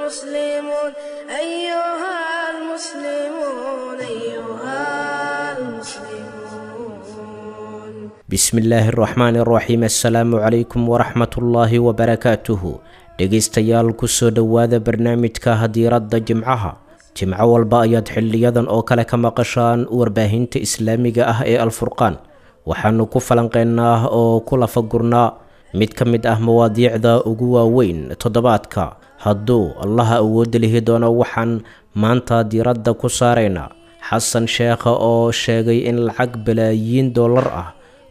المسلمون، أيها المسلمون، أيها المسلمون. Bismillaahi araxmaani araxiim, assalaamu calaykum waraxmatullaahi wabarakaatuhu. Dhegaystayaal, kusoo dhowaada barnaamijka hadiiradda Jimcaha. Jimco walba ayaad xiliyadan oo kale ka maqashaan warbaahinta islaamiga ah ee Alfurqaan. Waxaanu ku falanqeynaa oo ku lafagurnaa mid ka mid ah mawaadiicda ugu waaweyn toddobaadka. Hadduu Allaha awoodda lihi doono, waxaan maanta diiradda ku saaraynaa Xasan Sheekha oo sheegay in lacag balaayiin dollar ah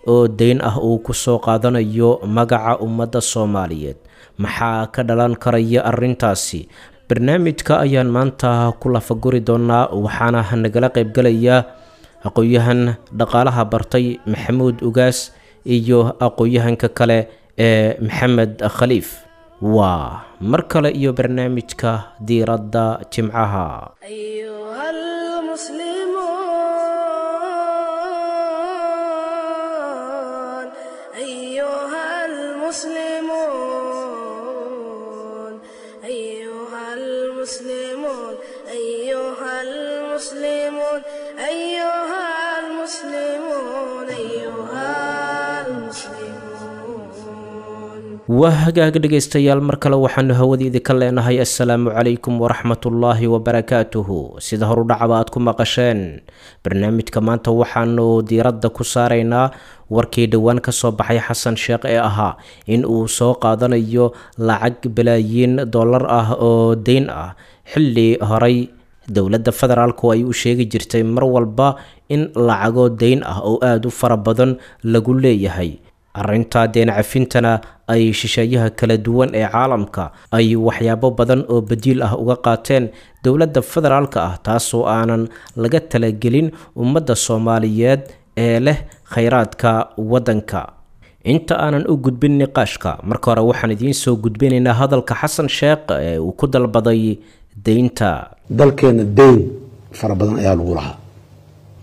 oo deyn ah uu ku soo qaadanayo magaca ummadda Soomaaliyeed. Maxaa ka dhalan karaya arrintaasi? Barnaamijka ayaan maanta ku lafaguri doonaa, waxaana nagala qaybgalaya aqoon-yahan dhaqaalaha bartay Maxamuud Ugaas iyo aqoon-yahanka kale ee Maxamed Khaliif. Waa mar kale iyo barnaamijka diiradda Jimcaha. أيها المسلمون، أيها المسلمون، أيها المسلمون، أيها المسلمون، أيها المسلمون. Waa hagaag dhegaystayaal, mar kale waxaanu hawada idinka leenahay assalaamu calaykum waraxmatullaahi wabarakaatuhu. Sida horudhacaba aad ku maqasheen, barnaamijka maanta waxaanu diiradda ku saaraynaa warkii dhowaan kasoo baxay Xasan Sheekh ee ahaa in uu soo qaadanayo lacag balaayiin dollar ah oo deyn ah, xilli horay dowladda federaalku ay u sheegi jirtay mar walba in lacago deyn ah oo aada u fara badan lagu leeyahay. Arrintaa deen cafintana ay shisheeyaha kala duwan ee caalamka ay waxyaabo badan oo badiil ah uga qaateen dowladda federaalka ah, taasoo aanan laga talagelin ummadda Soomaaliyeed ee leh khayraadka waddanka. Inta aanan u gudbin niqaashka, marka hore waxaan idiin soo gudbinaynaa hadalka Xasan Sheekh ee uu ku dalbaday deynta. Dalkeena deyn fara badan ayaa lagu lahaa.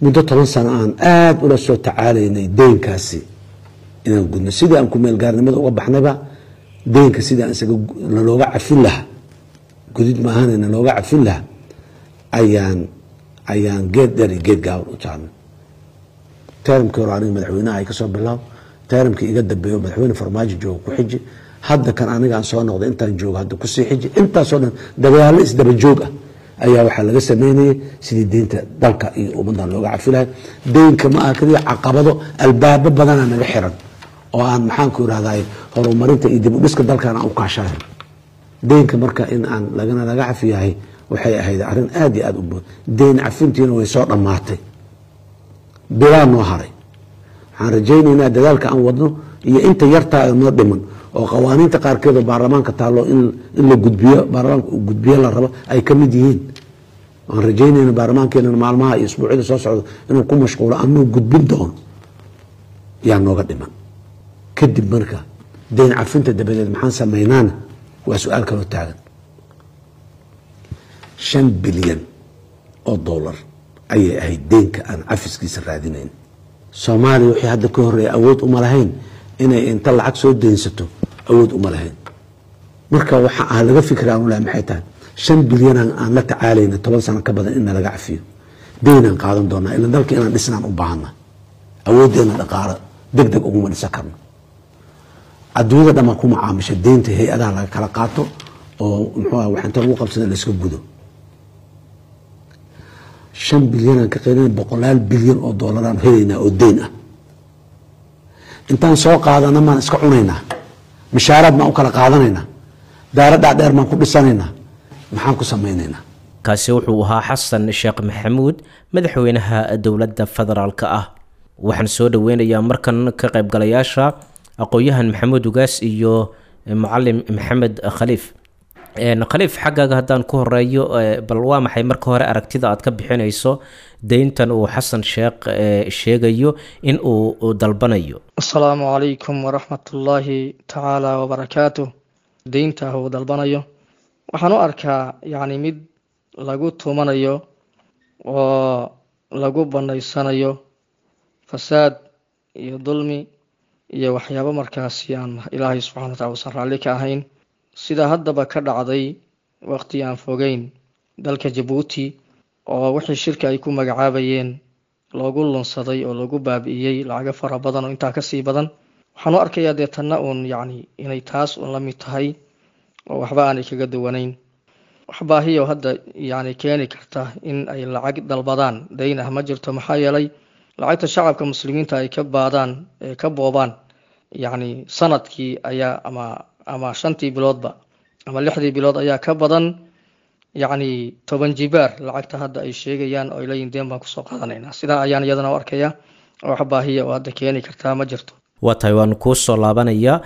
Muddo 10 sano aan aada ula soo tacaalaynay deynkaasi inaan gudno. Sidii aan kumeelgaarnimada uga baxnayba, deynka sidii aan isaga nalooga cafin lahaa, gudid maahan nalooga cafin lahaa, ayaan geed dheer iyo geed gaaban u taarnay. Termkii hore aniga madaxweynaha ay kasoo bilaab, termkii iga dambeeyo madaxweyne Farmaajo jooga ku xiji, hadda kan anigaan soo noqday intaan joogo hadda kusii xiji. Intaasoo dhan dagaallo isdaba joog ah ayaa waxaa laga sameynayay sidii deynta dalka iyo ummaddan looga cafi lahay. Deynka ma aha keliya caqabado, albaabo badanaa naga xiran oo aan, maxaanku irahday, horumarinta iyo dib u dhiska dalkan aan u kaashanayn. Deynka marka in aan lagana laga cafiyahay waxay ahayd arrin aada iyo aada u bood. Deyn cafintiina way soo dhammaatay, bilaa noo haray. Waxaan rajaynaynaa dadaalka aan wadno iyo inta yartaa noo dhiman oo qawaaniinta qaarkeed oo baarlamaanka taallo in la gudbiyo, baarlamaanka uu gudbiyo la rabo ay ka mid yihiin. Waan rajaynayna baarlamaankeena maalmaha iyo isbuucyada soo socda inuu ku mashquulo anuu gudbin doono yaa nooga dhiman. Kadib marka deyn cafinta dabadeed maxaan samaynaana waa su-aal kaloo taagan. 5 bilyan oo dollar ayay ahayd deynka aan cafiskiisa raadinayn. Soomaaliya wixii hadda ka horreeya awood uma lahayn inay inta lacag soo deynsato, awood uma lahayn. Marka waxa ah laga fikra aan ulahay maxay tahay? 5 bilyan aan la tacaalayna 10 sano ka badan in nalaga cafiyo, deynaan qaadan doonaa, ilan dalka inaan dhisnaan u baahana, awooddeena dhaqaalo deg deg uguma dhisan karno. Adduunyada dhamaa ku macaamisha deynta, hay-adaha laga kala qaato oo muxuu ah wax inta lagu qabsada la iska gudo. 5 bilyanaan ka qaylina, boqolaal bilyan oo doolaraan helaynaa oo deyn ah. Intaan soo qaadana maan iska cunaynaa? Mishaaraad maan u kala qaadanaynaa? Daaro dhaadheer maan ku dhisanaynaa? Maxaan ku samaynaynaa? Kaasi wuxuu ahaa Xasan Sheekh Maxamuud, madaxweynaha dowladda federaalka ah. Waxaan soo dhoweynayaa markan ka qaybgalayaasha, aqoon-yahan Maxamuud Ugaas iyo mucalim Maxamed Khaliif. Khaliif, xaggaaga haddaan ku horeeyo, bal waa maxay marka hore aragtida aad ka bixinayso deyntan uu Xasan Sheekh sheegayo in uu dalbanayo? Asalaamu calaykum waraxmatullaahi tacaala wabarakaatuh. Deynta uu dalbanayo waxaan u arkaa yacni mid lagu tumanayo oo lagu banaysanayo fasaad iyo dulmi iyo waxyaabo markaasi aan Ilaahay subxana wa tacala usan raalli ka ahayn, sida haddaba ka dhacday waqti aan fogeyn dalka Jabuuti, oo wixii shirka ay ku magacaabayeen loogu lunsaday oo loogu baabi'iyey lacago fara badan oo intaa kasii badan. Waxaan u arkayaa dee tanna uun yacni inay taas uun la mid tahay oo waxba aanay kaga duwanayn. Wax baahiyo hadda yacni keeni karta in ay lacag dalbadaan dayn ah ma jirto, maxaa yeelay lacagta shacabka muslimiinta ay ka baadaan ee ka boobaan yacni sanadkii ayaa ama 5tii biloodba ama 6dii bilood ayaa ka badan yacni 10 jibaar lacagta hadda ay sheegayaan oo ay leeyihin deen baan kusoo qaadanaynaa. Sidaa ayaan iyadana u arkayaa oo wax baahiya oo hadda keeni kartaa ma jirto. Waa tahay, waan kuu soo laabanayaa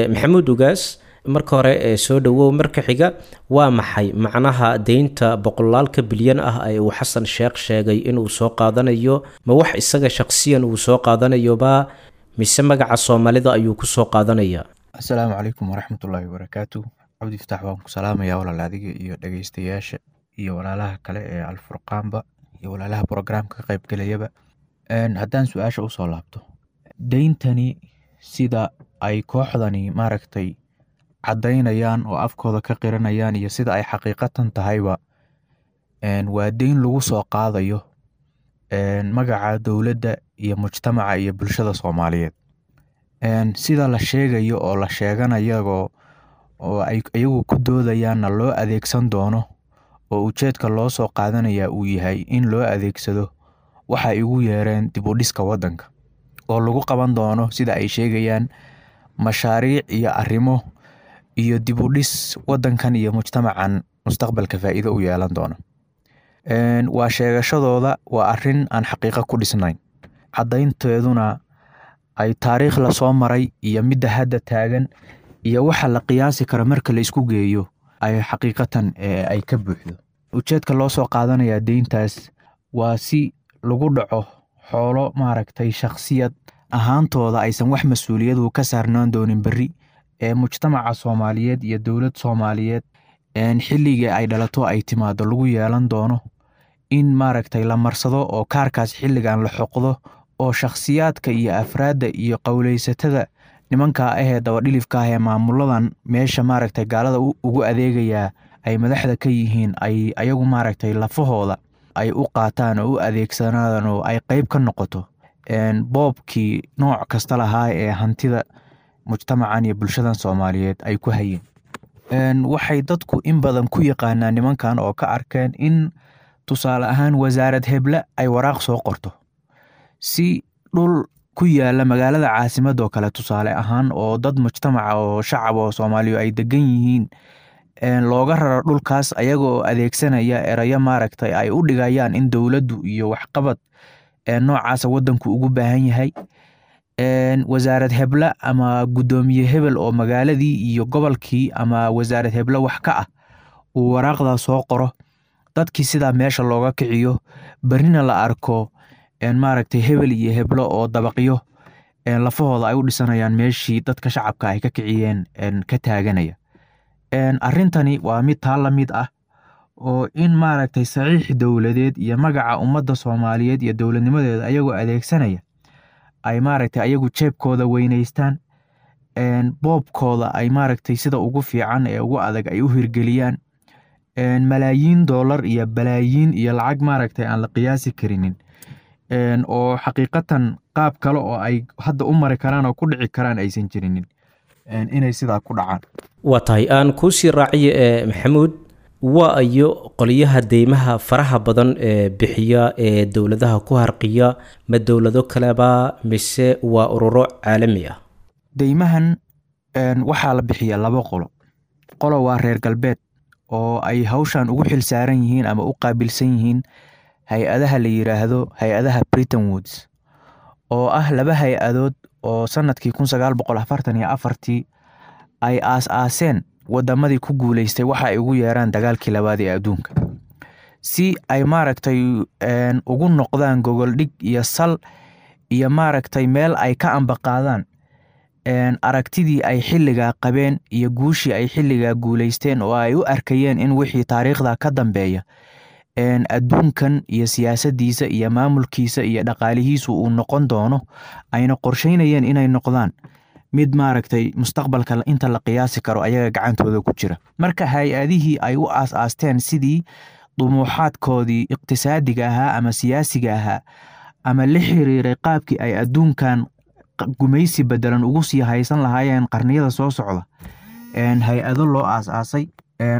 Maxamuud Ugaas. Marka hore soo dhawow. Marka xiga, waa maxay macnaha deynta boqolaalka bilyan ah ee uu Xasan Sheekh sheegay inuu soo qaadanayo? Ma wax isaga shaqsiyan uu soo qaadanayoba mise magaca Soomaalida ayuu kusoo qaadanaya? Asalaamu calaykum waraxmatullaahi wabarakaatu. Cabdi Fataax, waan ku salaamayaa walaal, adiga iyo dhegeystayaasha iyo walaalaha kale ee Alfurqaanba iyo walaalaha brograamka ka qaybgelayaba. Haddaan su-aasha usoo laabto, deyntani sida ay kooxdani maaragtay caddaynayaan oo afkooda ka qiranayaan iyo sida ay xaqiiqatan tahayba, waa deyn lagu soo qaadayo magaca dowladda iyo mujtamaca iyo bulshada Soomaaliyeed. Sida la sheegayo oo la sheeganayagoo oo ay iyagu ku doodayaanna loo adeegsan doono, oo ujeedka loo soo qaadanaya uu yahay in loo adeegsado waxa ay ugu yeereen dib u dhiska waddanka, oo lagu qaban doono sida ay sheegayaan mashaariic iyo arrimo iyo dib u dhis waddankan iyo mujtamacan mustaqbalka faa'iido u yeelan doono. Waa sheegashadooda, waa arrin aan xaqiiqo ku dhisnayn, caddaynteeduna ay taariikh lasoo maray iyo midda hadda taagan iyo waxa la qiyaasi karo marka la isku geeyo ay xaqiiqatan ay ka buuxdo. Ujeedka loo soo qaadanayaa deyntaas waa si lagu dhaco xoolo maaragtay shakhsiyad ahaantooda aysan wax mas-uuliyadu ka saarnaan doonin berri ee mujtamaca Soomaaliyeed iyo dowlad Soomaaliyeed xilliga ay dhalato ay timaado lagu yeelan doono, in maaragtay la marsado oo kaarkaas xilligan la xoqdo, oo shakhsiyaadka iyo afraadda iyo qowleysatada nimanka ahee dabadhilifka ah ee maamuladan meesha maaragtay gaalada ugu adeegayaa ay madaxda ka yihiin ay ayagu maaragtay lafahooda ay u qaataan oo u adeegsanadaan oo ay qeyb ka noqoto boobkii nooc kasta lahaa ee hantida mujtamacan iyo bulshadan Soomaaliyeed ay ku hayeen. Waxay dadku in badan ku yaqaanaan nimankan oo ka arkeen in tusaale ahaan wasaarad heble ay waraaq soo qorto si dhul ku yaala magaalada caasimadoo kale tusaale ahaan, oo dad mujtamaca oo shacab oo Soomaaliya ay degan yihiin looga raro dhulkaas, ayagoo adeegsanaya erayo maaragtay ay u dhigayaan in dowladdu iyo waxqabad noocaasa waddanku ugu baahan yahay. Wasaarad heble ama guddoomiye hebel oo magaaladii iyo gobolkii ama wasaarad heble wax ka ah uu waraaqdaa soo qoro, dadkii sidaa meesha looga kiciyo, berrina la arko maaragtay hebel iyo heblo oo dabaqyo lafahooda ay u dhisanayaan meeshii dadka shacabka ay ka kiciyeen ka taaganaya. Arrintani waa mid taa la mid ah, oo in maaragtay saxiix dowladeed iyo magaca ummadda Soomaaliyeed iyo dowladnimadeeda ayagoo adeegsanaya ay maaragtay ayagu jeebkooda weynaystaan, boobkooda ay maaragtay sida ugu fiican ee ugu adag ay u hirgeliyaan, malaayiin doolar iyo balaayiin iyo lacag maaragtay aan la qiyaasi karinin, oo xaqiiqatan qaab kale oo ay hadda u mari karaan oo ku dhici karaan aysan jirinin, inay sidaa ku dhacaan. Waa tahay, aan kuusii raaciyo ee Maxamuud. Waa ayo qolyaha deymaha faraha badan ee bixiya ee dowladaha ku harqiya? Ma dowlado kaleba mise waa ururo caalami ah? Deymahan waxaa la bixiyaa laba qolo. Qolo waa reer galbeed oo ay hawshan ugu xil saaran yihiin ama u qaabilsan yihiin hay-adaha la yiraahdo hay-adaha Britain Woods, oo ah laba hay-adood oo sanadkii 1944-tii ay aas-aaseen wadamadii ku guuleystay waxa ay ugu yeeraan dagaalkii labaad ee adduunka, si ay maaragtay ugu noqdaan gogoldhig iyo sal iyo maaragtay meel ay ka ambaqaadaan aragtidii ay xilligaa qabeen iyo guushii ay xilligaa guuleysteen, oo ay u arkayeen in wixii taariikhda ka dambeeya adduunkan iyo siyaasaddiisa iyo maamulkiisa iyo dhaqaalihiisu uu noqon doono, ayna qorsheynayeen inay noqdaan Mid maaragtay mustaqbalka inta la qiyaasi karo ayaga gacantooda ku jira. Marka hay-adihii ay u aas-aasteen sidii dumuuxaadkoodii iqtisaadiga ahaa ama siyaasiga ahaa ama la xiriiray qaabkii ay adduunkan gumaysi bedelan ugu sii haysan lahaayeen qarniyada soo socda, hay-ado loo aas-aasay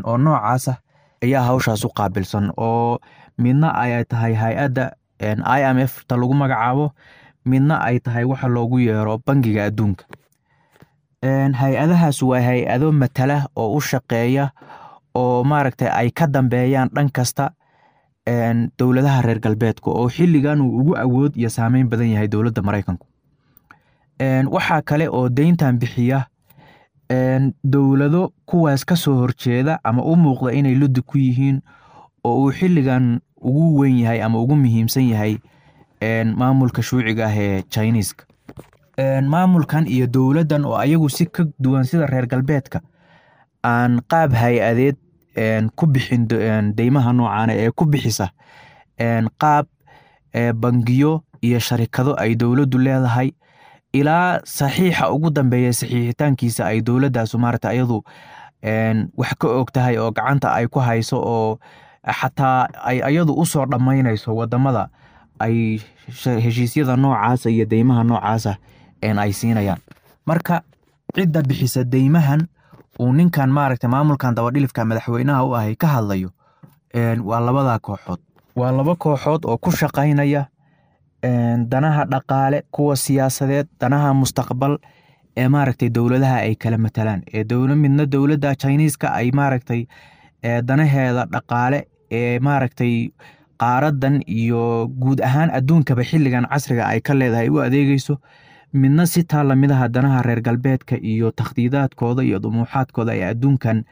oo noocaas ah ayaa hawshaas u qaabilsan, oo midna ay tahay hay-adda IMF ta lagu magacaabo, midna ay tahay waxa loogu yeero Bangiga Adduunka. Hay-adahaas waa hay-ado matala oo u shaqeeya oo maaragtay ay ka dambeeyaan dhan kasta dowladaha reer galbeedka, oo xilligan uu ugu awood iyo saameyn badan yahay dowladda Maraykanku. Waxaa kale oo deyntan bixiya dowlado kuwaas ka soo horjeeda ama u muuqda inay luddi ku yihiin, oo uu xilligan ugu weyn yahay ama ugu muhiimsan yahay maamulka shuuciga ah ee Chiniiska. Maamulkan iyo dowladdan oo ayagu si ka duwan sida reer galbeedka aan qaab hay-adeed ku bixin deymaha noocaana ee ku bixisa qaab bangiyo iyo sharikado ay dowladdu leedahay, ilaa saxiixa ugu dambeeya saxiixitaankiisa ay dowladdaasu maarata ayadu wax ka og tahay oo gacanta ay ku hayso, oo xataa ay ayadu usoo dhammaynayso wadamada ay heshiisyada noocaasa iyo deymaha noocaasa ay siinayaan. Marka cidda bixisa deymahan uu ninkan maaragta maamulkan dabadhilifka madaxweynaha u ahay ka hadlayo waa labadaa kooxood, waa laba kooxood oo ku shaqaynaya danaha dhaqaale, kuwa siyaasadeed, danaha mustaqbal ee maaragtay dowladaha ay kala matalaan, ee dowla midna dowladda Chiniiska ay maaragtay danaheeda dhaqaale ee maaragtay qaaradan iyo guud ahaan adduunkaba xilligan casriga ay ka leedahay u adeegeyso, midna si taa lamid aha danaha reer galbeedka iyo takhdiidaadkooda iyo dumuuxaadkooda ay adduunkan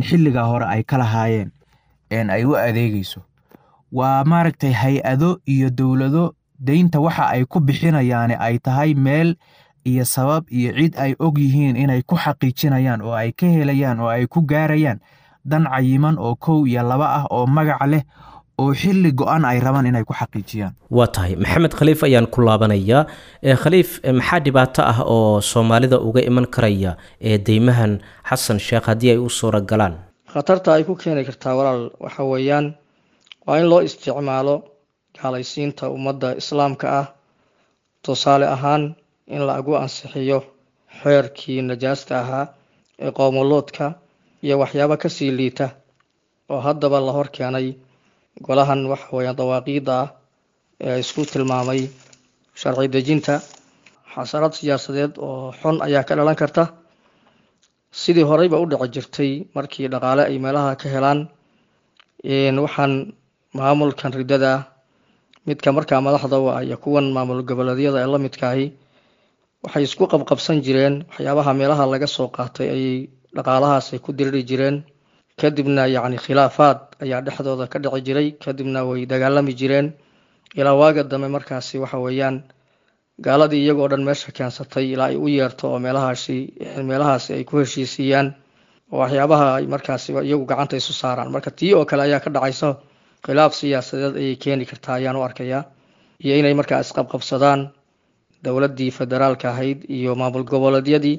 xilligaa hore ay ka lahaayeen ay u adeegeyso. Waa maaragtay hay-ado iyo dowlado deynta waxa ay ku bixinayaani ay tahay meel iyo sabab iyo cid ay og yihiin inay ku xaqiijinayaan oo ay ka helayaan oo ay ku gaarayaan dan cayiman oo kow iyo laba ah oo magac leh oo xilli go-an ay rabaan inay ku xaqiijiyaan. Waa tahay, Maxamed Khaliif ayaan ku laabanayaa. Khaliif, maxaa dhibaato ah oo Soomaalida uga iman karaya ee deymahan Xasan Sheekh haddii ay u suura galaan? Khatarta ay ku keeni kartaa, walaal, waxa weeyaan waa in loo isticmaalo gaalaysiinta ummadda islaamka ah. Tusaale ahaan, in lagu ansixiyo xeerkii najaasta ahaa ee qoomoloodka iyo waxyaabo kasii liita oo haddaba la hor keenay golahan waxa weeyaan dawaaqiidda ah ee isku tilmaamay sharci dejinta. Xasarad siyaasadeed oo xun ayaa ka dhalan karta, sidii horeyba u dhici jirtay markii dhaqaale ay meelaha ka helaan. Waxaan maamulkan riddada midka markaa madaxda u ah iyo kuwan maamul goboleedyada ee la midkaahi waxay isku qabqabsan jireen waxyaabaha meelaha laga soo qaatay ayay dhaqaalahaas ay ku diriri jireen, kadibna yacni khilaafaad ayaa dhexdooda ka dhici jiray, kadibna way dagaalami jireen ilaa waaga dambe markaasi waxa weeyaan gaaladii iyagoo dhan meesha keensatay ilaa ay u yeerto oo meelahaasi ay ku heshiisiiyaan oo waxyaabaha ay markaasi iyagu gacanta isu saaraan. Marka tii oo kale ayaa ka dhacaysa, khilaaf siyaasadeed ayay keeni kartaa ayaan u arkayaa, iyo inay markaa isqabqabsadaan dowladdii federaalka ahayd iyo maamul goboleedyadii,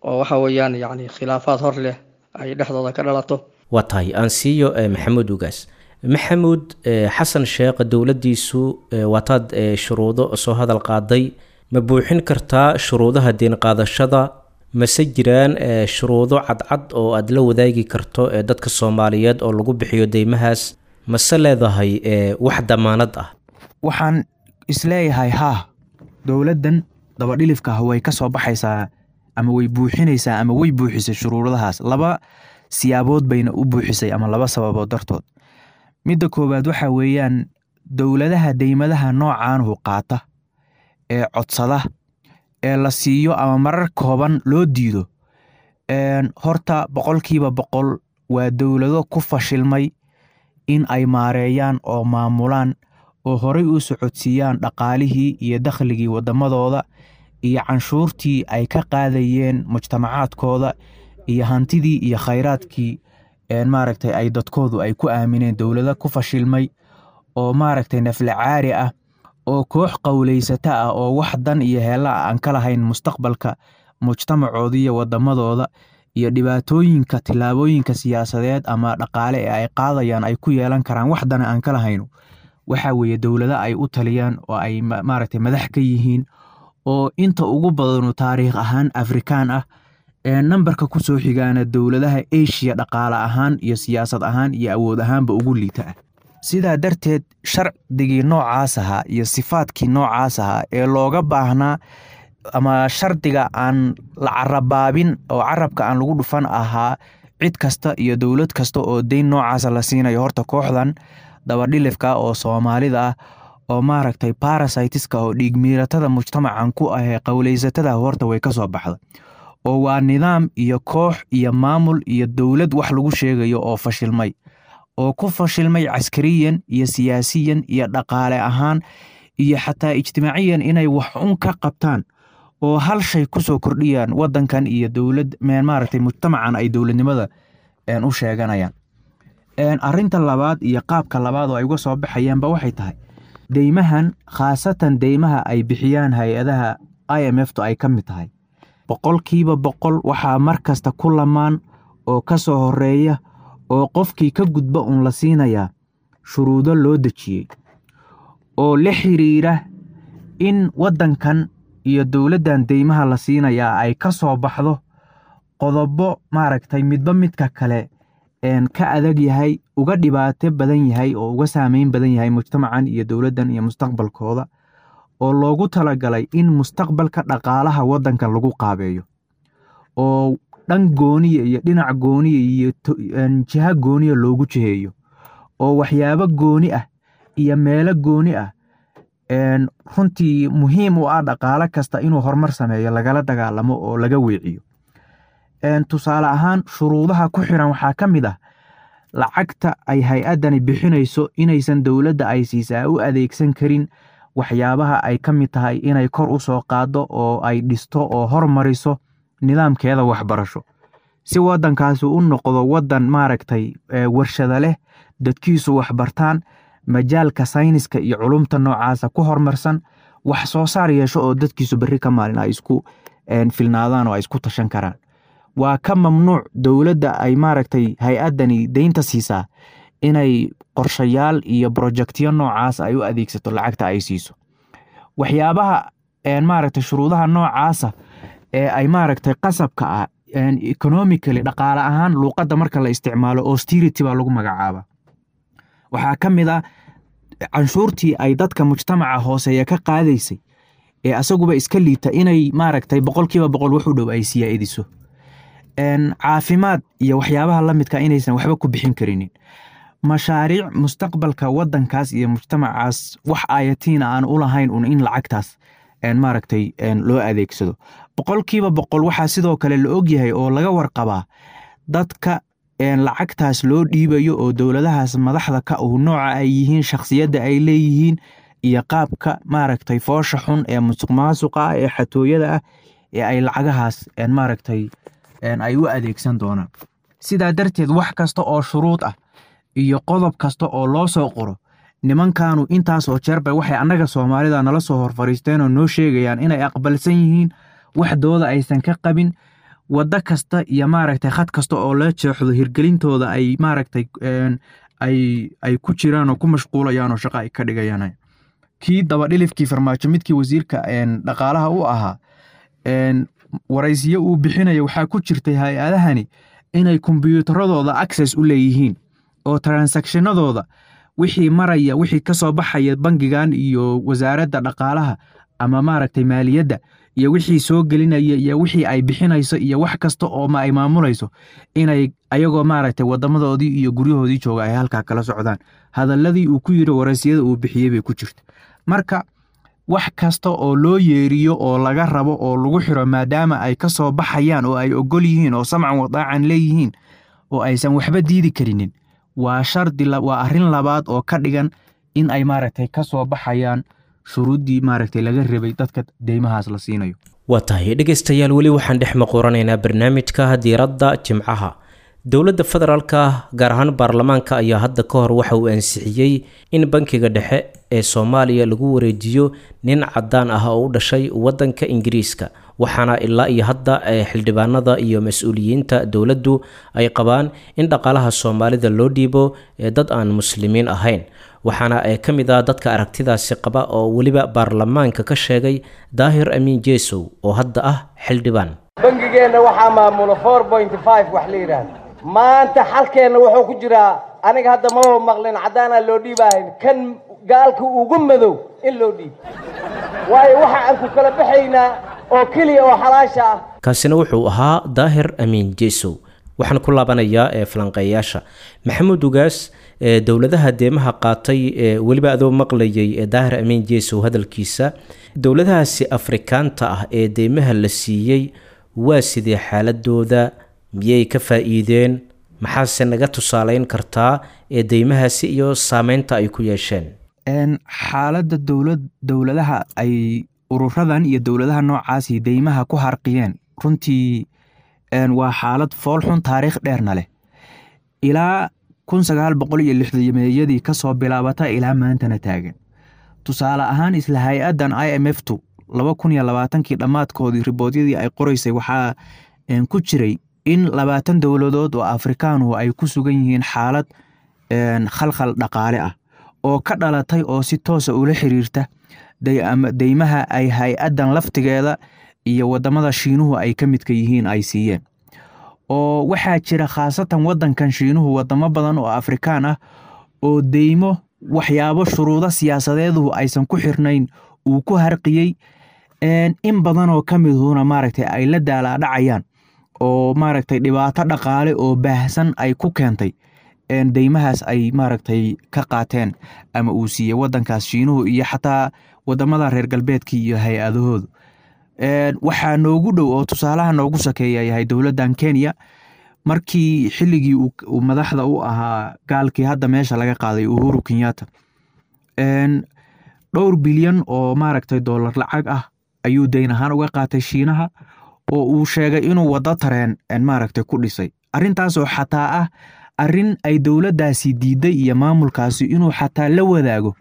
oo waxa weeyaan yacni khilaafaad hor leh ay dhexdooda ka dhalato. Waa tahay, aan siiyo Maxamuud Ugaas. Maxamuud, Xasan Sheekh dowladdiisu waataad shuruudo soo hadal qaaday, ma buuxin kartaa shuruudaha deen qaadashada? Mase jiraan shuruudo cadcad oo aada la wadaagi karto dadka Soomaaliyeed oo lagu bixiyo deymahaas? Mase leedahay wax damaanad ah? Waxaan isleeyahay haa, dowladdan dabadhilifka ah way ka soo baxaysaa ama way buuxinaysaa ama way buuxisay shuruudahaas. Laba siyaabood bayna u buuxisay ama laba sababood dartood. Midda koowaad waxa weeyaan dowladaha deymadaha noocaanuhu qaata ee codsada ee la siiyo ama marar kooban loo diido, horta 100% waa dowlado ku fashilmay in ay maareeyaan oo maamulaan oo horey u socodsiiyaan dhaqaalihii iyo dakhligii waddamadooda iyo canshuurtii ay ka qaadayeen mujtamacaadkooda iyo hantidii iyo khayraadkii maaragtay ay dadkoodu ay ku aamineen. Dowlado ku fashilmay oo maaragtay nafla caari ah Oo koox qowleysata ah oo wax dan iyo heella ah aan ka lahayn mustaqbalka mujtamacooda iyo wadamadooda iyo dhibaatooyinka tillaabooyinka siyaasadeed ama dhaqaale ee ay qaadayaan ay ku yeelan karaan, wax dana aan ka lahayno, waxa weeye dowlado ay u taliyaan oo ay maaragtay madax ka yihiin, oo inta ugu badanu taariikh ahaan Afrikaan ah, ee nambarka kusoo xigaana dowladaha Asia dhaqaale ahaan iyo siyaasad ahaan iyo awood ahaanba ugu liita ah. Sidaa darteed shardigii noocaas ahaa iyo sifaadkii noocaas ahaa ee looga baahnaa, ama shardiga aan la carabaabin oo carabka aan lagu dhufan ahaa, cid kasta iyo dowlad kasta oo deyn noocaasa la siinayo, horta kooxdan dabadhilifka oo Soomaalida ah oo maaragtay parasitiska oo dhiigmiiratada mujtamacan ku ah ee qowleysatada, horta way kasoo baxda, oo waa nidaam iyo koox iyo maamul iyo dowlad wax lagu sheegayo oo fashilmay, oo ku fashilmay caskariyan iyo siyaasiyan iyo dhaqaale ahaan iyo xataa ijtimaaciyan inay wax un ka qabtaan oo hal shay kusoo kordhiyaan wadankan iyo dowlad maaragtay mujtamacan ay dowladnimada u sheeganayaan. Arrinta labaad iyo qaabka labaad oo ay uga soo baxayaanba waxay tahay deymahan, khaasatan deymaha ay bixiyaan hay-adaha IMF tu ay ka mid tahay, 100% waxaa mar kasta ku lamaan oo ka soo horeeya oo qofkii ka gudba uun la siinayaa shuruudo loo dejiyey oo la xiriira in waddankan iyo dowladdan deymaha la siinayaa ay ka soo baxdo qodobo maaragtay midba midka kale ka adag yahay, uga dhibaato badan yahay oo uga saameyn badan yahay mujtamacan iyo dowladdan iyo mustaqbalkooda, oo loogu talagalay in mustaqbalka dhaqaalaha waddankan lagu qaabeeyo oo dhan gooniya iyo dhinac gooniya iyo jiha gooniya loogu jiheeyo, oo waxyaabo gooni ah iyo meelo gooni ah runtii muhiim u ah dhaqaalo kasta inuu horumar sameeyo lagala dagaalamo oo laga weeciyo. Tusaale ahaan, shuruudaha ku xiran waxaa ka mid ah lacagta ay hay-addani bixinayso inaysan dowladda ay siisaa u adeegsan karin waxyaabaha ay ka mid tahay inay kor u soo qaaddo oo ay dhisto oo hormariso nidaamkeeda waxbarasho, si waddankaasi u noqdo waddan maaragtay warshada leh, dadkiisu waxbartaan, majaalka sayniska iyo culumta noocaasa ku horumarsan, wax soo saar yeesho oo dadkiisu berri ka maalin ay isku filnaadaan oo ay isku tashan karaan. Waa ka mamnuuc dowladda ay maaragtay hay-addani deynta siisaa inay qorshayaal iyo projectyo noocaas ay u adeegsato lacagta ay siiso. Waxyaabaha maaragtay shuruudaha noocaasa ee ay maaragtay qasabka ah, economically, dhaqaale ahaan, luuqadda marka la isticmaalo austerity baa lagu magacaaba. Waxaa ka mid ah canshuurtii ay dadka mujtamaca hooseeya ka qaadaysay ee asaguba iska liita inay maaragtay 100% wax u dhow ay siyaaidiso. Caafimaad iyo waxyaabaha la midka inaysan waxba ku bixin karinin. Mashaariic mustaqbalka waddankaas iyo mujtamacaas wax ayatiina aan u lahayn un in lacagtaas maaragtay loo adeegsado. 100% waxaa sidoo kale la ogyahay oo laga warqabaa dadka lacagtaas loo dhiibayo oo dowladahaas madaxda ka uh nooca ay yihiin, shakhsiyadda ay leeyihiin iyo qaabka maaragtay foosha xun ee musuqmaasuqa ah ee xatooyada ah ee ay lacagahaas maaragtay ay u adeegsan doonaan. Sidaa darteed wax kasta oo shuruud ah iyo qodob kasta oo loo soo qoro nimankanu intaas oo jeer bay waxay annaga Soomaalida nala soo hor fariisteen oo noo sheegayaan inay aqbalsan yihiin, waxdooda aysan ka qabin, waddo kasta iyo maaragtay khad kasta oo la jeexdo hirgelintooda ay maaragtay ay ku jiraan oo ku mashquulayaan oo shaqo ay ka dhigayaan. Kii dabadhilifkii Farmaajo, midkii wasiirka dhaqaalaha u ahaa, waraysiyo uu bixinayo waxaa ku jirtay hay-adahani inay kombiyuutaradooda access u leeyihiin oo transactionadooda wixii maraya, wixii ka soo baxaya bangigan iyo wasaaradda dhaqaalaha ama maaragtay maaliyadda, iyo wixii soo gelinaya iyo wixii ay bixinayso iyo wax kasta oo ma ay maamulayso, inay ayagoo maaragtay wadamadoodii iyo guryahoodii jooga ay halkaa kala socdaan. Hadalladii uu ku yiri waraysiyada uu bixiyey bay ku jirta. Marka wax kasta oo loo yeeriyo oo laga rabo oo lagu xiro, maadaama ay ka soo baxayaan oo ay ogol yihiin oo samcan wadaacan leeyihiin oo aysan waxba diidi karinin, waa shardi, waa arrin labaad oo ka dhigan in ay maaragtay ka soo baxayaan shuruuddii maaragtay laga rabay dadka deymahaas la siinayo. Waa tahay dhegaystayaal, weli waxaan dhex maquuranaynaa barnaamijka diiradda Jimcaha. Dowladda federaalka, gaar ahaan baarlamaanka, ayaa hadda ka hor waxa uu ansixiyey in bankiga dhexe ee Soomaaliya lagu wareejiyo nin caddaan ah oo u dhashay waddanka Ingiriiska, waxaana ilaa iyo hadda xildhibaanada iyo mas-uuliyiinta dowladdu ay qabaan in dhaqaalaha Soomaalida loo dhiibo dad aan muslimiin ahayn. Waxaana ka mid ah dadka aragtidaasi qaba oo weliba baarlamaanka ka sheegay Daahir Amiin Jeesow oo hadda ah xildhibaan. Bangigeenna waxaa maamulo 4.5 wax la yidhaahdo. Maanta xalkeenna wuxuu ku jiraa, aniga hadda maba maqlin caddaanaa loo dhiibaahayn, kan gaalka ugu madow in loo dhiibo, waayo waxa aan ku kala baxaynaa oo keliya oo xalaasha ah. Kaasina wuxuu ahaa Daahir Amiin Jeesow. Waxaan ku laabanayaa ee falanqeeyaasha. Maxamuud Ugaas, dowladaha deemaha qaatay, weliba adoo maqlayay Daahir Amiin Jeesow hadalkiisa, dowladahaasi Afrikaanta ah ee deemaha la siiyey waa sidee xaaladooda? Miyay ka faa'iideen? Maxaase naga tusaaleyn kartaa ee deymahaasi iyo saameynta ay ku yeesheen? Xaaladda dowladaha ay ururadan iyo dowladaha noocaasi deymaha ku harqiyeen runtii waa xaalad foolxun, taariikh dheerna leh, ilaa 1960-meeyadii kasoo bilaabata ilaa maantana taagan. Tusaale ahaan, isla hay-addan IMF tu 2020-kii dhammaadkoodii riboodyadii ay qoreysay waxaa ku jiray in 20 dowladood oo Afrikaanuhu ay ku sugan yihiin xaalad khalkhal dhaqaale ah oo ka dhalatay oo si toosa ula xiriirta deymaha ay hay-addan laftigeeda iyo wadamada Shiinuhu ay ka midka yihiin ay siiyeen. Oo waxaa jira khaasatan wadankan Shiinuhu wadamo badan oo Afrikaan ah oo deymo waxyaabo shuruudo siyaasadeeduhu aysan ku xirnayn uu ku harqiyey, in badanoo ka miduhuna maaragtay ay la daalaadhacayaan oo maaragtay dhibaato dhaqaale oo baahsan ay ku keentay deymahaas ay maaragtay ka qaateen ama uu siiyey wadankaas Shiinuhu iyo xataa wadamada reer galbeedka iyo hay-adahoodu. Waxaa noogu dhow oo tusaalaha noogu sakeeya yahay dowladdan Kenya, markii xilligii uu madaxda u ahaa gaalkii hadda meesha laga qaaday, Uhuru Kenyatta, dhowr bilyan oo maaragtay dollar lacag ah ayuu deyn ahaan uga qaatay Shiinaha oo uu sheegay inuu waddo tareen maaragtay ku dhisay. Arrintaasoo xataa ah arrin ay dowladdaasi diiday iyo maamulkaasi inuu xataa la wadaago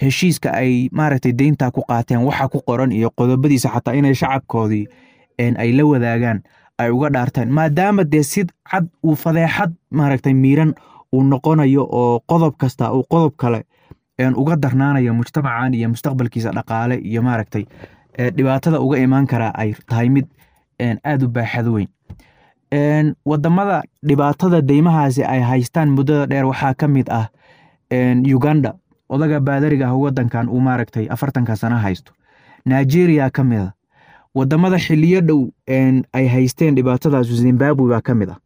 heshiiska ay maaragtay deyntaa ku qaateen waxa ku qoran iyo qodobadiisa, xataa inay shacabkoodii ay la wadaagaan ay uga dhaarteen, maadaama dee si cad uu fadeexad maaragtay miiran uu noqonayo oo qodob kasta uu qodob kale uga darnaanayo mujtamacan iyo mustaqbalkiisa dhaqaale iyo maaragtay dhibaatada uga imaan karaa ay tahay mid aad u baaxad weyn. Wadamada dhibaatada deymahaasi ay haystaan muddada dheer waxaa ka mid ah Uganda, odaga baadariga ah wadankan uu maaragtay 40-ka sano haysto. Nigeria ka mid ah wadamada xiliyo dhow ay haysteen dhibaatadaas. Zimbabwe baa ka mid ah.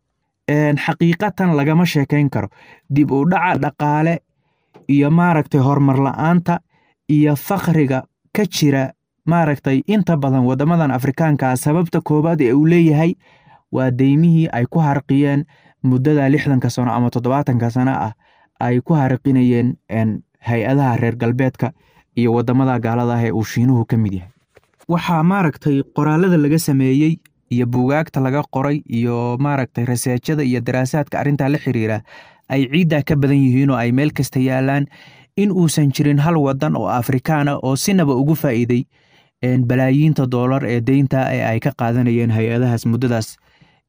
Xaqiiqatan lagama sheekeyn karo dib u dhaca dhaqaale iyo maaragtay horumar la-aanta iyo fakriga ka jira maaragtay inta badan wadamadan Afrikaanka ah. Sababta koowaad ee uu leeyahay waa deymihii ay ku harqiyeen muddada 60-ka sano ama 70-ka sano ah ay ku harqinayeen hay-adaha reer galbeedka iyo wadamada gaalada ah ee uu Shiinuhu ka mid yahay. Waxaa maaragtay qoraalada laga sameeyey iyo buugaagta laga qoray iyo maaragtay raseejada iyo daraasaadka arrintaa la xiriira ay ciiddaa ka badan yihiin oo ay meel kasta yaalaan in uusan jirin hal wadan oo Afrikaan ah oo sinaba ugu faa'iiday balaayiinta doolar ee deynta ee ay ka qaadanayeen hay-adahaas muddadaas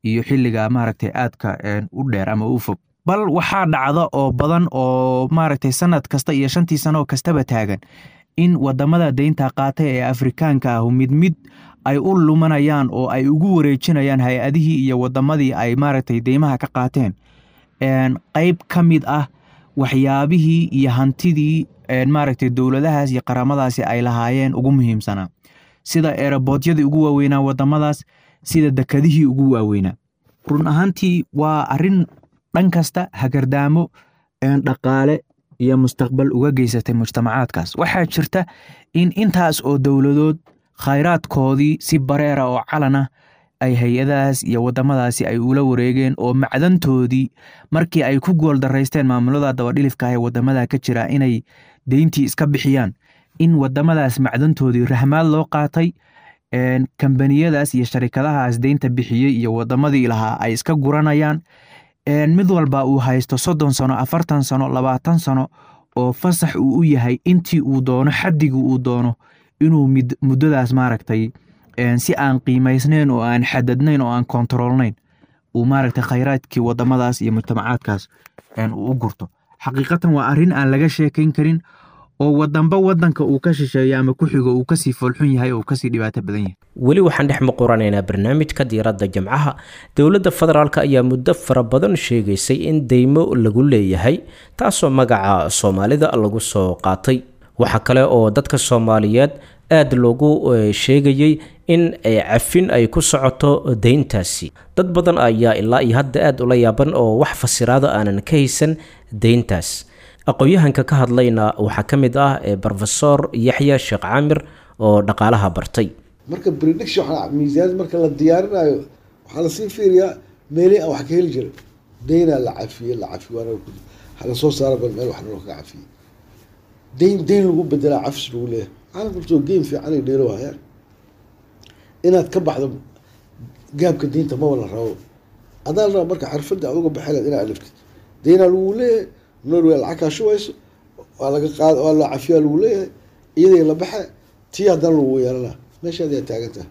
iyo xilliga maaragtay aadka u dheer ama u fog. Bal waxaa dhacda oo badan oo maaragtay sanad kasta iyo shantii sano kastaba taagan in wadamada deynta qaatay ee Afrikaanka ah mid mid ay u lumanayaan oo ay ugu wareejinayaan hay-adihii iyo wadamadii ay maaragtay deymaha ka qaateen qayb ka mid ah waxyaabihii iyo hantidii maaragtay dowladahaas iyo qaramadaasi ay lahaayeen ugu muhiimsanaa, sida eeraboodhyadii ugu waaweynaa wadamadaas, sida dekadihii ugu waaweynaa. Run ahaantii waa arrin dhan kasta hagardaamo dhaqaale iyo mustaqbal uga geysatay mujtamacaadkaas. Waxaa jirta in intaas oo dowladood khayraadkoodii si bareera oo calan ah ay hay-adahaas iyo wadamadaasi ay ula wareegeen, oo macdantoodii markii ay ku gooldaraysteen maamulada dabadhilifka ah ee wadamada ka jira inay deyntii iska bixiyaan, in wadamadaas macdantoodii rahmaad loo qaatay, kambaniyadaas iyo sharikadahaas deynta bixiyey iyo wadamadii lahaa ay iska guranayaan, mid walba uu haysto 30 sano, 40 sano, 20 sano Oo fasax uu u yahay intii uu doono, xaddigii uu doono, inuu muddadaas maaragtay si aan qiimaysnayn oo aan xadadnayn oo aan kontaroolnayn uu maaragtay khayraadkii wadamadaas iyo mujtamacaadkaas uu u gurto. Xaqiiqatan waa arrin aan laga sheekayn karin, oo wadanba wadanka uu ka shisheeyo ama ku xigo uu kasii foolxun yahay oo uu kasii dhibaato badan yahay. Weli waxaan dhex muquranaynaa barnaamijka Diiradda Jimcaha. Dowladda federaalk ayaa muddo fara badan sheegaysay in deymo lagu leeyahay, taasoo magaca Soomaalida lagu soo qaatay. Waxaa kale oo dadka Soomaaliyeed aada loogu sheegayey in cafin ay ku socoto deyntaasi. Dad badan ayaa ilaa iyo hadda aada ula yaaban oo wax fasiraada aanan ka haysan deyntaas. Aqoon-yahanka ka hadlayna waxaa ka mid ah Brofesor Yaxya Sheekh Caamir oo dhaqaalaha bartay. Marka prediction waxaa miisaaniyad marka la diyaarinayo, waxaa lasii fiiriyaa meelihii aan wax ka heli jiray. Deynaa la cafiyey, la cafiyo, waana hala soo saara, bal meel wax naloo kaga cafiyey. Deyn lagu bedelaa cafis lagu leeyahay. Caalamka laftoo game fiican ay dheelo hayaan. Inaad ka baxdo gaabka deynta maba la rabo, adaa la raba. Marka xirfadda aad uga baxi lahayd inaad aliftid. Deynaa lagu leeyahay, Norway lacag kaa shubayso, waa laga qaad, waa la cafiyaa lagu leeyahay, iyaday la baxe tii haddana lagu yeelanaa, meeshaad yaa taagan tahay.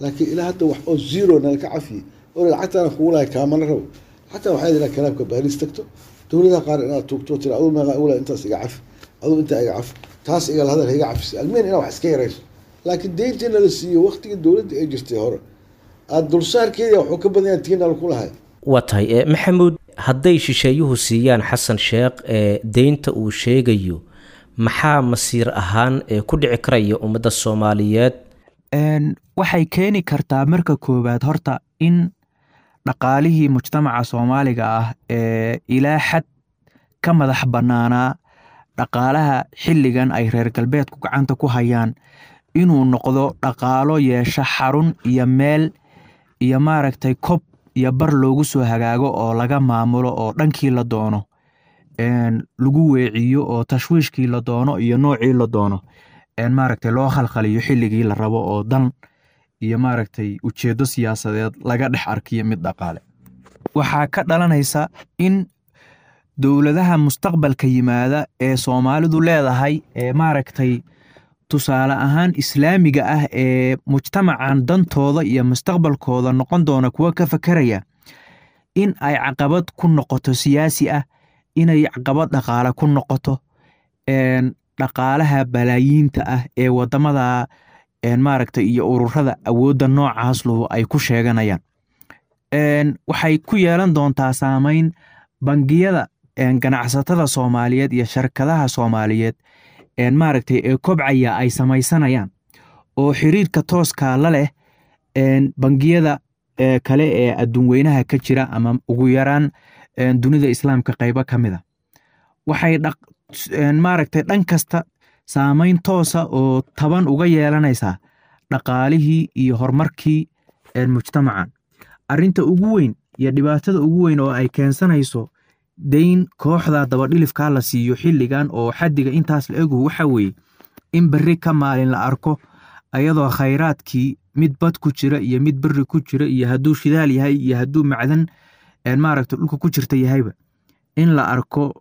Laakiin ilaa hadda wax oo zero nala ka cafiyey oo lacagtaana kugu lahay kaamana rabo. Xataa waxay inaad kalaabka Baariis tagto, dowladaha qaar inaad tuugto, tira aduu meeqa igu lahay, intaas iga cafi, aduu intaa iga cafi, taas igala hadal, iga cafisa, almeen inaad wax iska yarayso. Laakiin deyntii nala siiyo waqtigii dowladda ay jirtay hore aad dulsaarkeeda wuxuu ka badan yahay tii nala ku lahay. Waa tahay, Maxamuud, hadday shisheeyuhu siiyaan Xasan Sheekh ee deynta uu sheegayo, maxaa masiir ahaan ee ku dhici karaya ummadda Soomaaliyeed? Waxay keeni kartaa marka koowaad horta in dhaqaalihii mujtamaca Soomaaliga ah ee ilaa xad ka madax bannaanaa dhaqaalaha xilligan ay reer galbeedku gacanta ku hayaan inuu noqdo dhaqaalo yeesha xarun iyo meel iyo maaragtay kob iyo bar loogu soo hagaago oo laga maamulo, oo dhankii la doono lagu weeciyo, oo tashwiishkii la doono iyo noocii la doono maaragtay loo khalkhaliyo xilligii la rabo, oo dan iyo maaragtay ujeeddo siyaasadeed laga dhex arkiyo mid dhaqaale. Waxaa ka dhalanaysa in dowladaha mustaqbalka yimaada ee Soomaalidu leedahay ee maaragtay tusaale ahaan Islaamiga ah ee mujtamacan dantooda iyo mustaqbalkooda noqon doona kuwa ka fakeraya, in ay caqabad ku noqoto siyaasi ah, inay caqabad dhaqaale ku noqoto dhaqaalaha balaayiinta ah ee wadamada maaragtay iyo ururada awoodda noocaas lahu ay ku sheeganayaan. Waxay ku yeelan doontaa saameyn bangiyada ganacsatada Soomaaliyeed iyo sharkadaha Soomaaliyeed maaragtay ee kobcaya ay samaysanayaan oo xiriirka tooska la leh bangiyada kale ee adduun weynaha ka jira ama ugu yaraan dunida Islaamka qaybo ka mid a. Waxay maaragtay dhan kasta saameyn toosa oo taban uga yeelanaysaa dhaqaalihii iyo horumarkii mujtamacan. Arrinta ugu weyn iyo dhibaatada ugu weyn oo ay keensanayso deyn kooxda dabadhilifkaa la siiyo xilligan oo xaddiga intaas la egu waxa weeye in berri ka maalin la arko ayadoo khayraadkii mid bad ku jira iyo mid berri ku jira iyo hadduu shidaal yahay iyo hadduu macdan maaragta dhulka ku jirta yahayba, in la arko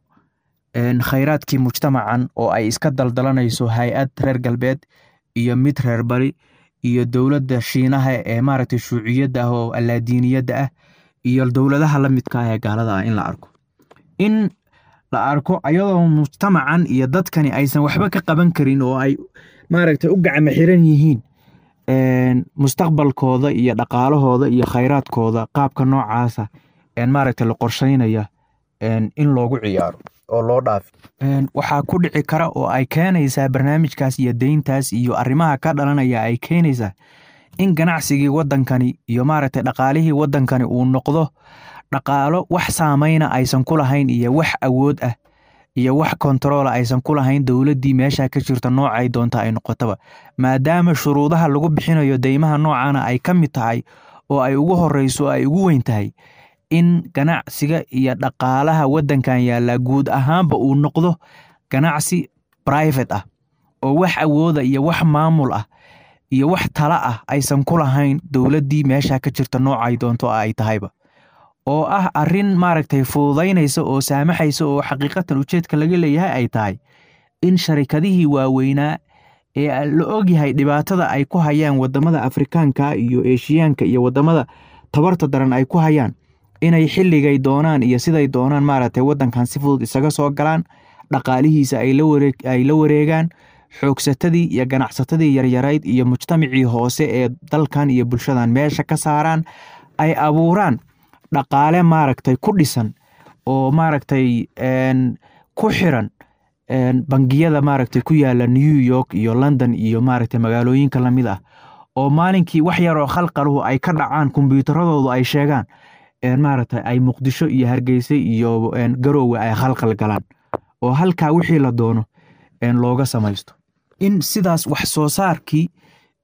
khayraadkii mujtamacan oo ay iska daldalanayso hay-ad reer galbeed iyo mid reer bari iyo dowladda Shiinaha ee maaragtay shuuciyadda ah oo allaadiiniyadda ah iyo dowladaha la midka ah ee gaalada ah, in la arko ayadoo mujtamacan iyo dadkani aysan waxba ka qaban karin oo ay maaragtay u gacmo xiran yihiin mustaqbalkooda iyo dhaqaalahooda iyo khayraadkooda qaabka noocaasa maaragtay la qorsheynaya in loogu ciyaaro oo loo dhaafi. Waxaa ku dhici kara oo ay keenaysaa barnaamijkaas iyo deyntaas iyo arrimaha ka dhalanaya ay keenaysaa in ganacsigii waddankani iyo maaragtay dhaqaalihii waddankani uu noqdo dhaqaalo wax saameyna aysan ku lahayn iyo wax awood ah iyo wax kontaroola aysan ku lahayn dowladdii meesha ka jirta noocay doonta ay noqotaba, maadaama shuruudaha lagu bixinayo deymaha noocana ay ka mid tahay oo ay ugu horeyso oo ay ugu weyn tahay in ganacsiga iyo dhaqaalaha waddankan yaallaa guud ahaanba uu noqdo ganacsi private ah oo wax awooda iyo wax maamul ah iyo wax tala ah aysan ku lahayn dowladdii meesha ka jirta noocay doonto ay tahayba. Oo ah arrin maaragtay fududaynaysa oo saamaxaysa, oo xaqiiqatan ujeedka laga leeyahay ay tahay in sharikadihii waaweynaa ee la ogyahay dhibaatada ay ku hayaan wadamada Afrikaanka iyo Eeshiyaanka iyo wadamada tabarta daran ay ku hayaan, inay xilligay doonaan iyo siday doonaan maaragtay wadankan si fudud isaga soo galaan, dhaqaalihiisa ay la wareegaan, xoogsatadii iyo ganacsatadii yaryarayd iyo mujtamacii hoose ee dalkan iyo bulshadan meesha ka saaraan, ay abuuraan dhaqaale maaragtay ku dhisan oo maaragtay ku xiran bangiyada maaragtay ku yaala New York iyo London iyo maaragtay magaalooyinka lamid ah, oo maalinkii wax yaroo khalqaluhu ay ka dhacaan kombiyuutaradoodu ay sheegaan maaragtay ay Muqdisho iyo Hargeysa iyo Garoowe ay khalkhal galaan, oo halkaa wixii la doono looga samaysto. In sidaas wax soo saarkii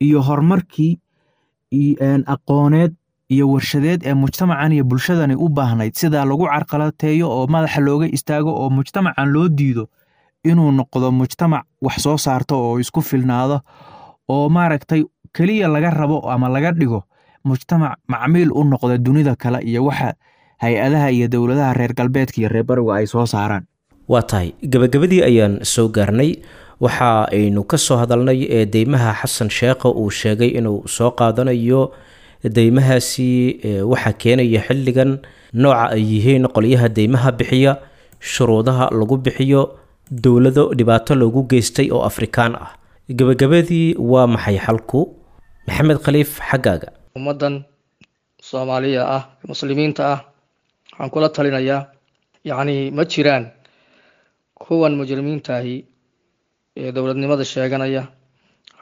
iyo horumarkii aqooneed iyo warshadeed ee mujtamacan iyo bulshadani u baahnayd sidaa lagu carqalateeyo oo madaxa looga istaago, oo mujtamacan loo diido inuu noqdo mujtamac wax soo saarto oo isku filnaado, oo maaragtay keliya laga rabo ama laga dhigo mujtamac macmiil u noqda dunida kale iyo waxa hay-adaha iyo dowladaha reer galbeedka iyo reer bariga ay soo saaraan. Waa tahay, gabagabadii ayaan soo gaarnay. Waxa aynu ka soo hadalnay ee deymaha Xasan Sheekha uu sheegay inuu soo qaadanayo, deymahaasi waxaa keenaya xilligan, nooca ay yihiin qolyaha deymaha bixiya, shuruudaha lagu bixiyo, dowlado dhibaato loogu geystay oo Afrikaan ah. Gabagabadii, waa maxay xalku? Maxamed Khaliif, xaggaaga. Ummaddan Soomaaliya ah, muslimiinta ah, waxaan kula talinayaa, yacni ma jiraan kuwan mujrimiintaahi ee dowladnimada sheeganaya,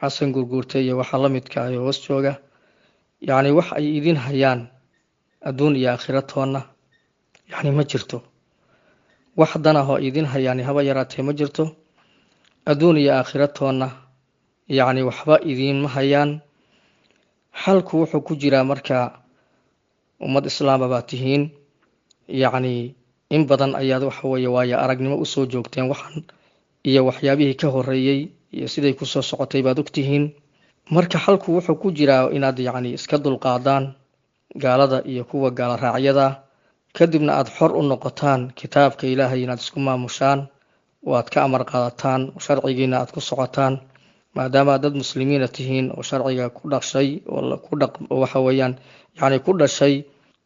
Xasan Gurguurta iyo waxa la midka ah ee hoos jooga, yacni wax ay idin hayaan adduun iyo aakhira toonna yacni ma jirto. Wax dan ah oo idin hayaani haba yaraatee ma jirto, adduun iyo aakhira toonna yacni waxba idiinma hayaan. Xalku wuxuu ku jiraa marka ummad islaama baa tihiin, yacni in badan ayaad waxa weeye waayo aragnimo usoo joogteen waxan iyo waxyaabihii ka horreeyey iyo siday kusoo socotay baad ogtihiin. Marka xalku wuxuu ku jiraa inaad yacni iska dulqaadaan gaalada iyo kuwa gaala raacyada, kadibna aada xor u noqotaan, kitaabka Ilaahay inaad isku maamushaan oo aad ka amar qaadataan, sharcigiina aad ku socotaan, maadaama aad dad muslimiina tihiin oo sharciga ku dhashay oo ku dhaq waxa weeyaan yacni ku dhashay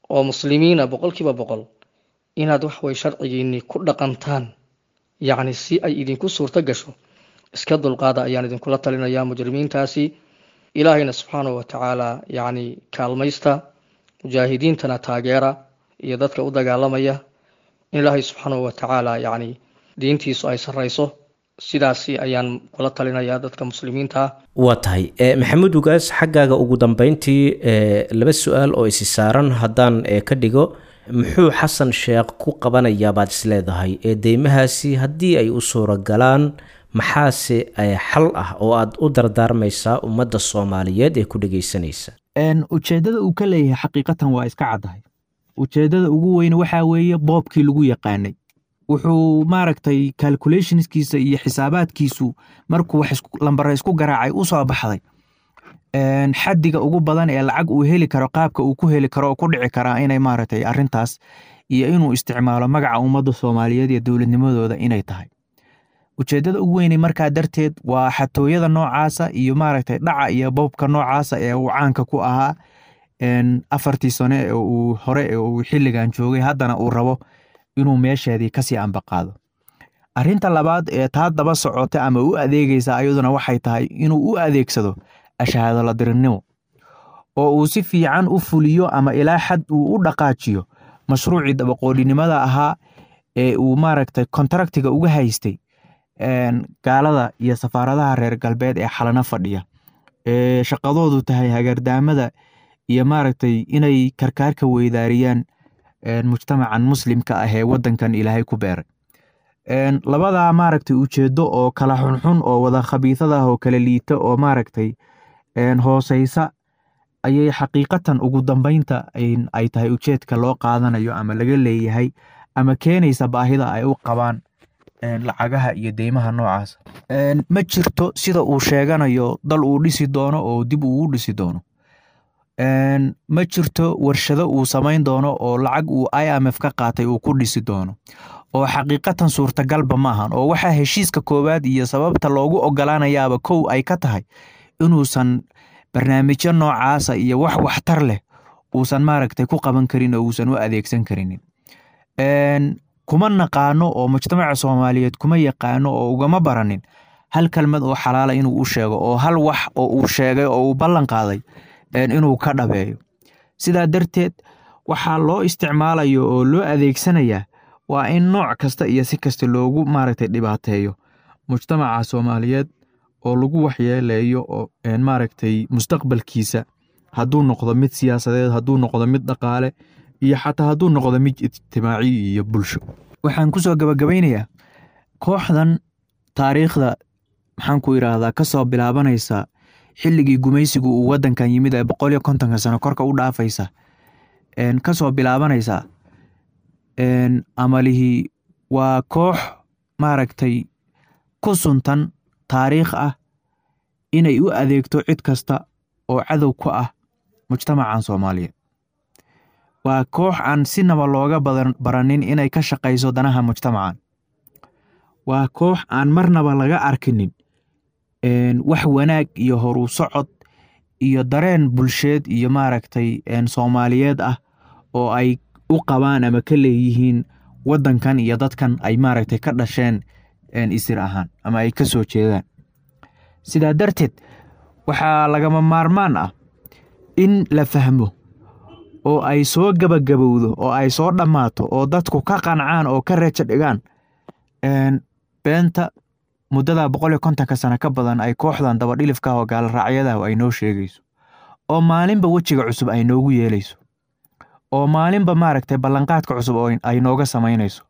oo muslimiina 100%, inaad wax way sharcigiinii ku dhaqantaan, yacni si ay idinku suurto gasho. Iska dulqaada ayaan idinkula talinayaa mujrimiintaasi. Ilaahayna subxaanahu watacaala yacni kaalmaysta, mujaahidiintana taageera iyo dadka u dagaalamaya in Ilaahay subxaanahu watacaala yacni diintiisu ay sarreyso. Sidaasi ayaan kula talinayaa dadka muslimiinta ah. Waa tahay, Maxamuud Ugaas, xaggaaga ugu dambeyntii laba su-aal oo isi saaran haddaan ka dhigo: muxuu Xasan Sheekh ku qabanayaa baad isleedahay ee deymahaasi haddii ay u suuragalaan, maxaase xal ah oo aad u dardaarmaysaa ummadda Soomaaliyeed ee ku dhegeysanaysa? Ujeeddada uu ka leeyahay xaqiiqatan waa iska caddahay. Ujeeddada ugu weyn waxaa weeye boobkii lagu yaqaanay. Wuxuu maaragtay calculationskiisa iyo xisaabaadkiisu markuu wax lambare isku garaacay u soo baxday xaddiga ugu badan ee lacag uu heli karo, qaabka uu ku heli karo oo ku dhici karaa inay maaragtay arrintaas iyo inuu isticmaalo magaca ummadda Soomaaliyeed iyo dowladnimadooda inay tahay ujeeddada ugu weynay. Markaa darteed waa xatooyada noocaasa iyo maaragtay dhaca iyo boobka noocaasa ee uu caanka ku ahaa 4tii sane ee uu hore ee uu xilligan joogay, haddana uu rabo inuu meesheedii kasii ambaqaado. Arrinta labaad ee taa daba socota ama u adeegaysa ayaduna waxay tahay inuu u adeegsado ashahaadoladirinimo oo uu si fiican u fuliyo ama ilaa xad uu u dhaqaajiyo mashruucii dabaqoodhinimada ahaa ee uu maaragtay kontraktiga uga haystay gaalada iyo safaaradaha reer galbeed ee xalano fadhiya, ee shaqadoodu tahay hagardaamada iyo maaragtay inay karkaarka weydaariyaan mujtamacan muslimka ah ee wadankan Ilaahay ku beeray. Labadaa maaragtay ujeedo oo kala xunxun oo wada khabiisada ah oo kala liita oo maaragtay hooseysa ayay xaqiiqatan ugu dambeynta ay tahay ujeedka loo qaadanayo ama laga leeyahay ama keenaysa baahida ay u qabaan lacagaha iyo deymaha noocaas. Ma jirto sida uu sheeganayo dal uu dhisi doono oo dib uu u dhisi doono. Ma jirto warshado uu samayn doono oo lacag uu IMF ka qaatay uu ku dhisi doono, oo xaqiiqatan suurtagalba maahan. Oo waxaa heshiiska koowaad iyo sababta loogu ogolaanayaaba kow ay ka tahay inuusan barnaamijyo noocaasa iyo wax waxtar leh uusan maaragtay ku qaban karin oo uusan u adeegsan karinin. Kuma naqaano oo mujtamaca Soomaaliyeed kuma yaqaano oo ugama baranin hal kelmad oo xalaala inuu u sheego, oo hal wax oo uu sheegay oo uu ballan qaaday inuu ka dhabeeyo. Sidaa darteed waxaa loo isticmaalayo oo loo adeegsanayaa waa in nooc kasta iyo si kasta loogu maaragtay dhibaateeyo mujtamaca Soomaaliyeed oo lagu waxyeeleeyo oo maaragtay mustaqbalkiisa, hadduu noqdo mid siyaasadeed, hadduu noqdo mid dhaqaale, iyo xataa hadduu noqdo mid ijtimaaci iyo bulsho. Waxaan kusoo gabagabaynayaa kooxdan taariikhda, maxaan ku idhaahdaa, kasoo bilaabanaysa xilligii gumaysigu uu wadankan yimid ee 150-ka sano korka u dhaafaysa, kasoo bilaabanaysa amalihii, waa koox maaragtay ku suntan taariikh ah inay u adeegto cid kasta oo cadow ku ah mujtamacan Soomaaliyeed. Waa koox aan sinaba looga baranin inay ka shaqayso danaha mujtamacan. Waa koox aan marnaba laga arkinin wax wanaag iyo horu socod iyo dareen bulsheed iyo maaragtay Soomaaliyeed ah oo ay u qabaan ama ka leeyihiin wadankan iyo dadkan ay maaragtay ka dhasheen isir ahaan ama ay ka soo jeedaan. Sidaa darteed waxaa lagama maarmaan ah in la fahmo oo ay soo gabagabowdo oo ay soo dhammaato oo dadku ka qancaan oo ka rajo dhigaan beenta muddada 150-ka sano ka badan ay kooxdan dabadhilifka oo gaalraacyadahu ay noo sheegayso, oo maalinba wejiga cusub ay noogu yeelayso, oo maalinba maaragtay ballanqaadka cusub oo ay nooga samaynayso,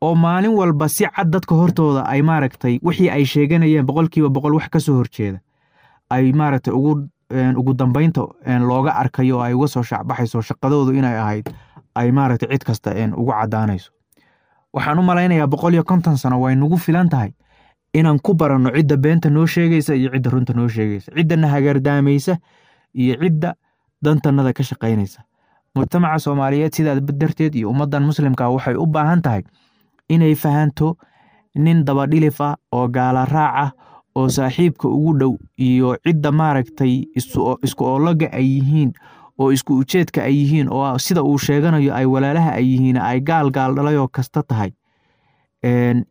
oo maalin walba si cad dadka hortooda ay maaragtay wixii ay sheeganayeen 100% wax ka soo horjeeda ay maaragtay ugu dambeynta looga arkayo oo ay uga soo shaacbaxayso shaqadoodu inay ahayd ay maaragtay cid kasta ugu caddaanayso. Waxaan u malaynayaa 150 sano way nagu filan tahay inaan ku baranno cidda beenta noo sheegaysa iyo cidda runta noo sheegaysa, ciddana hagardaamaysa iyo cidda dantanada ka shaqaynaysa. Mujtamaca Soomaaliyeed sidaa darteed iyo ummaddan muslimka waxay u baahan tahay inay fahanto nin dabadhilif ah oo gaala raac ah oo saaxiibka ugu dhow iyo cidda maaragtay isku oologa ay yihiin oo isku ujeedka ay yihiin oo sida uu sheeganayo ay walaalaha ay yihiin ay gaal gaal dhalayoo kasta tahay,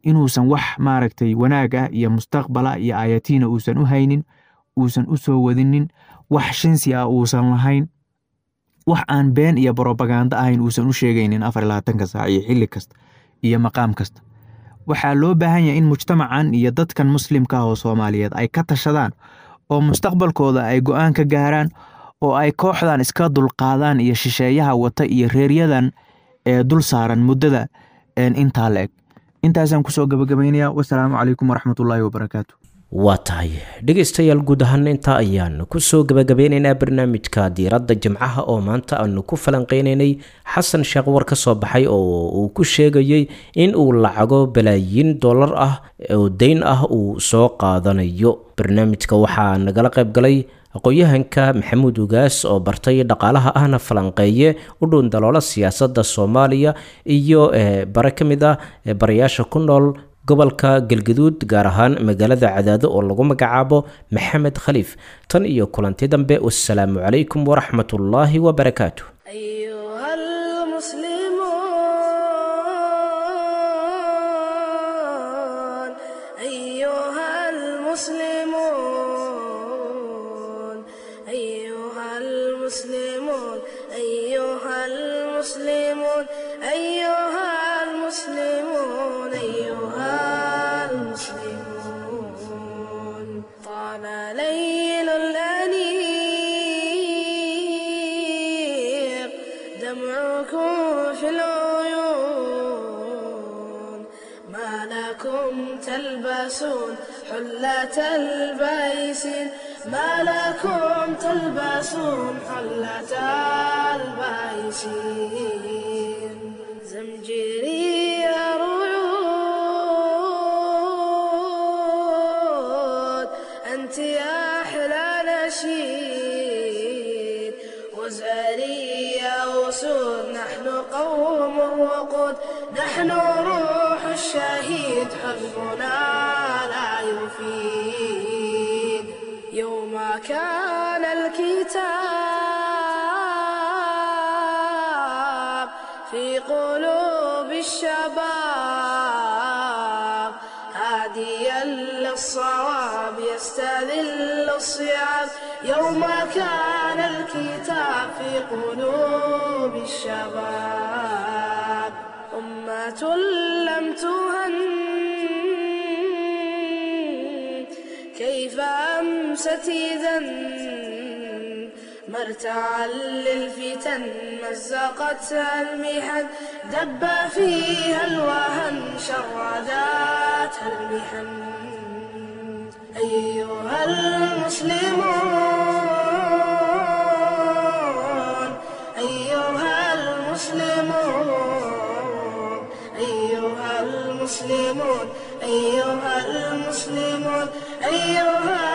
inuusan wax maaragtay wanaag ah iyo mustaqbala iyo aayatiina uusan u haynin, uusan u soo wadinin, wax shinsi ah uusan lahayn, wax aan been iyo brobaganda ahayn uusan u sheegaynin 24-ka saac iyo xilli kasta iyo maqaam kasta. Waxaa loo baahan yahay in mujtamacan iyo dadkan muslimka ah oo Soomaaliyeed ay ka tashadaan oo mustaqbalkooda ay go'aan ka gaaraan oo ay kooxdan iska dulqaadaan iyo shisheeyaha wata iyo reeryadan ee dul saaran muddada intaa la eg. Intaasaan kusoo gabagabaynayaa. Wasalaamu calaykum waraxmatullaahi wabarakaatu. Waa tahay dhegaystayaal, guud ahaan intaa ayaan kusoo gabagabeynaynaa barnaamijka diiradda jimcaha oo maanta aanu ku falanqeynaynay Xasan Sheekh war ka soo baxay oo uu ku sheegayey in uu lacago balaayiin dollar ah oo deyn ah uu soo qaadanayo. Barnaamijka waxaa nagala qayb galay aqoon-yahanka Maxamuud Ugaas oo bartay dhaqaalaha ahna falanqeeye u dhuun daloola siyaasadda Soomaaliya, iyo bare ka mid ah barayaasha ku nool gobolka Galgaduud, gaar ahaan magaalada Cadaado, oo lagu magacaabo Maxamed Khaliif. Tan iyo kulanti dambe, wassalaamu calaykum waraxmatullaahi wabarakaatu. أيها المسلمون، أيها المسلمون، أيها المسلمون، أيها المسلمون، أيها المسلمون. طال ليل الأنيق دمعكم في العيون، ما لكم تلبسون حلة البيس، ما لكم تلبسون حلة البيس. زمجري رعود، أنت يا أحلى نشيد. نحن قوم وقود، نحن روح الشهيد حزبنا لا يفيد. يوم كان الكتاب في قلوب الشباب، هاديا للصواب يستذل الصعاب. يوم كان الكتاب في قلوب الشباب، أمة لم تهن كيف أمست إذا، مرتعا للفتن مزقتها المحن، دب فيها الوهن شرداتها المحن. أيها المسلمون، أيها المسلمون، أيها المسلمون، أيها المسلمون، أيها